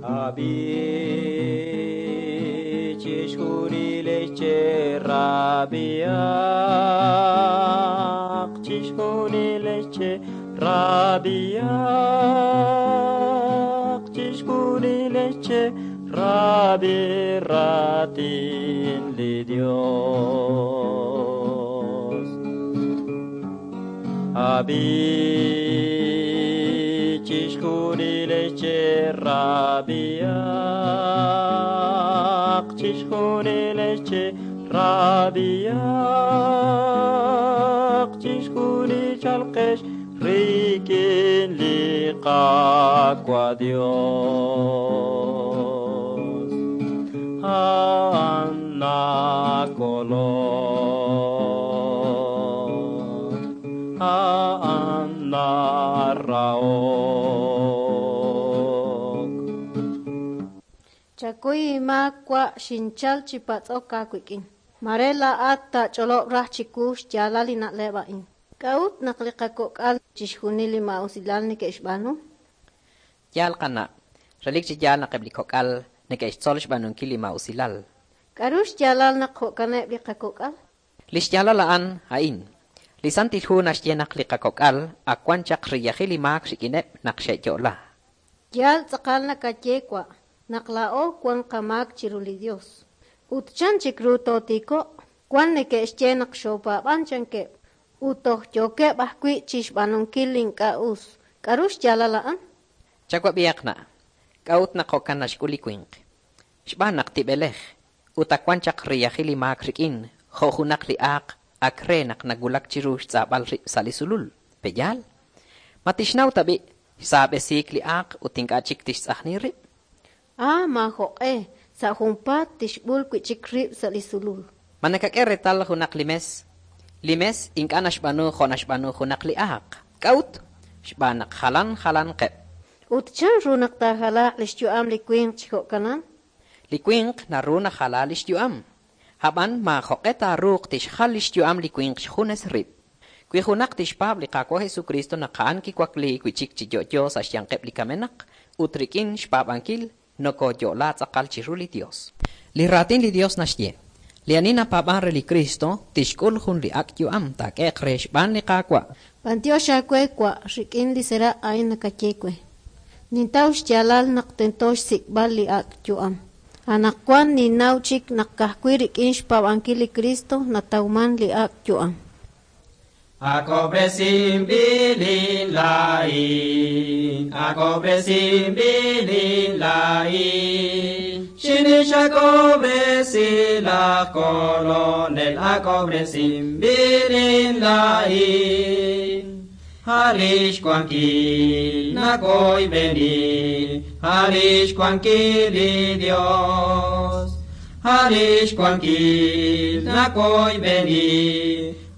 Ab'i chixjunilex cherab'ihaq, chixjunilex cherab'ihaq, chixjunilex cherab'i raatin li Dios. Ab'i chixjunilex cherab'ihaq, chixjunilex cherab'ihaq, chixjunil chalqex rik'in li Qaawa' Dios. A'an nakolok, a'an narahok. Chakuy inmaak wa' xinchal chi patz'ok aawik'in. Mare laa'at taach'olob' raj chiwu xyaalal li na'leb' a'in. K'a'ut naq li qakok'al chixjunil li maa'usilal neke'xb'aanu? Yaal qana', relik chi yaal naq eb' li kok'al neke'xtzol xb'aanunkil li maa'usilal. K'aru xyaalal naq jo'kaneb' li qakok'al? Li xyaalal a'an a'in. Li Santil Hu naxye naq li qakok'al ak wan chaq riyajil li maak rik'ineb' naq xe'yo'la. Yaal tz'aqal nakaye wa' naq laa'o wan qamaak chiru li Dios. Ut chan chik ru tootiiko'q? Wan neke'xye naq xoopaab'an chankeb', ut toj yookeb' ajwi' chi xb'aanunkil li ink'a' us. K'aru xyaalal a'an? Chawab'ihaq na', k'a'ut naq jo'kan naxk'ul li winq? Xb'aan naq tib'elej, ut ak wan chaq riyajil li maak rik'in, jo' junaq li aaq ak re naq nawulak chiru xtz'ab'al rib' sa' li sulul. Pe'yaal? Ma tixnaw tab'i' xsaab'esiik li aaq ut ink'a' chik tixtz'ajni rib'? Ah, maajoq'e, sa' junpaat tixb'ul wi' chik rib' sa' li sulul. Ma nakak'e reetal junaq li mes? Li mes ink'a' naxb'aanu jo' naxb'aanu junaq li aaq. K'a'ut? Xb'aan naq jalan jalanqeb'. Ut chan ru naq taajalaaq li xyu'am li winq chi jo'kanan? Li winq naru najala li xyu'am, ab'an maajoq'e taaruuq tixjal li xyu'am li winq xjunes rib'. Wi junaq tixpaab' li Qaawa' Jesucristo naq a'an kiwakliik wi' chik chi yo'yo sa' xyanqeb' li kamenaq, ut rik'in xpaab'ankil nokooyo'la tz'aqal chiru li Dios. Li Raatin li Dios naxye, Li ani napaab'ank re li Kristo tixk'ul jun li ak' yu'am taak'ehe'q re xb'aan li Qaawa'. B'anyox aawe wa' rik'in li seraq' a'in nakaye we. Nintaw xyaalal naq tento xsik'b'al li ak' yu'am. Anaqwan ninnaw chik naq ka'ajwi' rik'in xpaab'ankil li Kristo natawman li ak' yu'am. Ak'ob'resinb'ilin laa'in, ak'ob'resinb'ilin laa'in. Xinix ak'ob'resi laj Kolonel, ak'ob'resinb'ilin laa'in. A' lix wankil nakoyb'eni, a' lix wankil li Dios. A' lix wankil nakoyb'eni,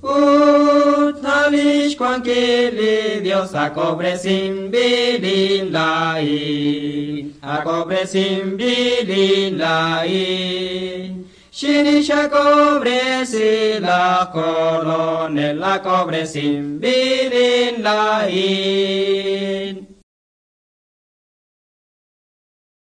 ut a' lix wankil li Dios ak'ob'resinb'ilin laa'in, ak'ob'resinb'ilin laa'in. Xinix ak'ob'resi laj Kolonel, ak'ob'resinb'ilin laa'in.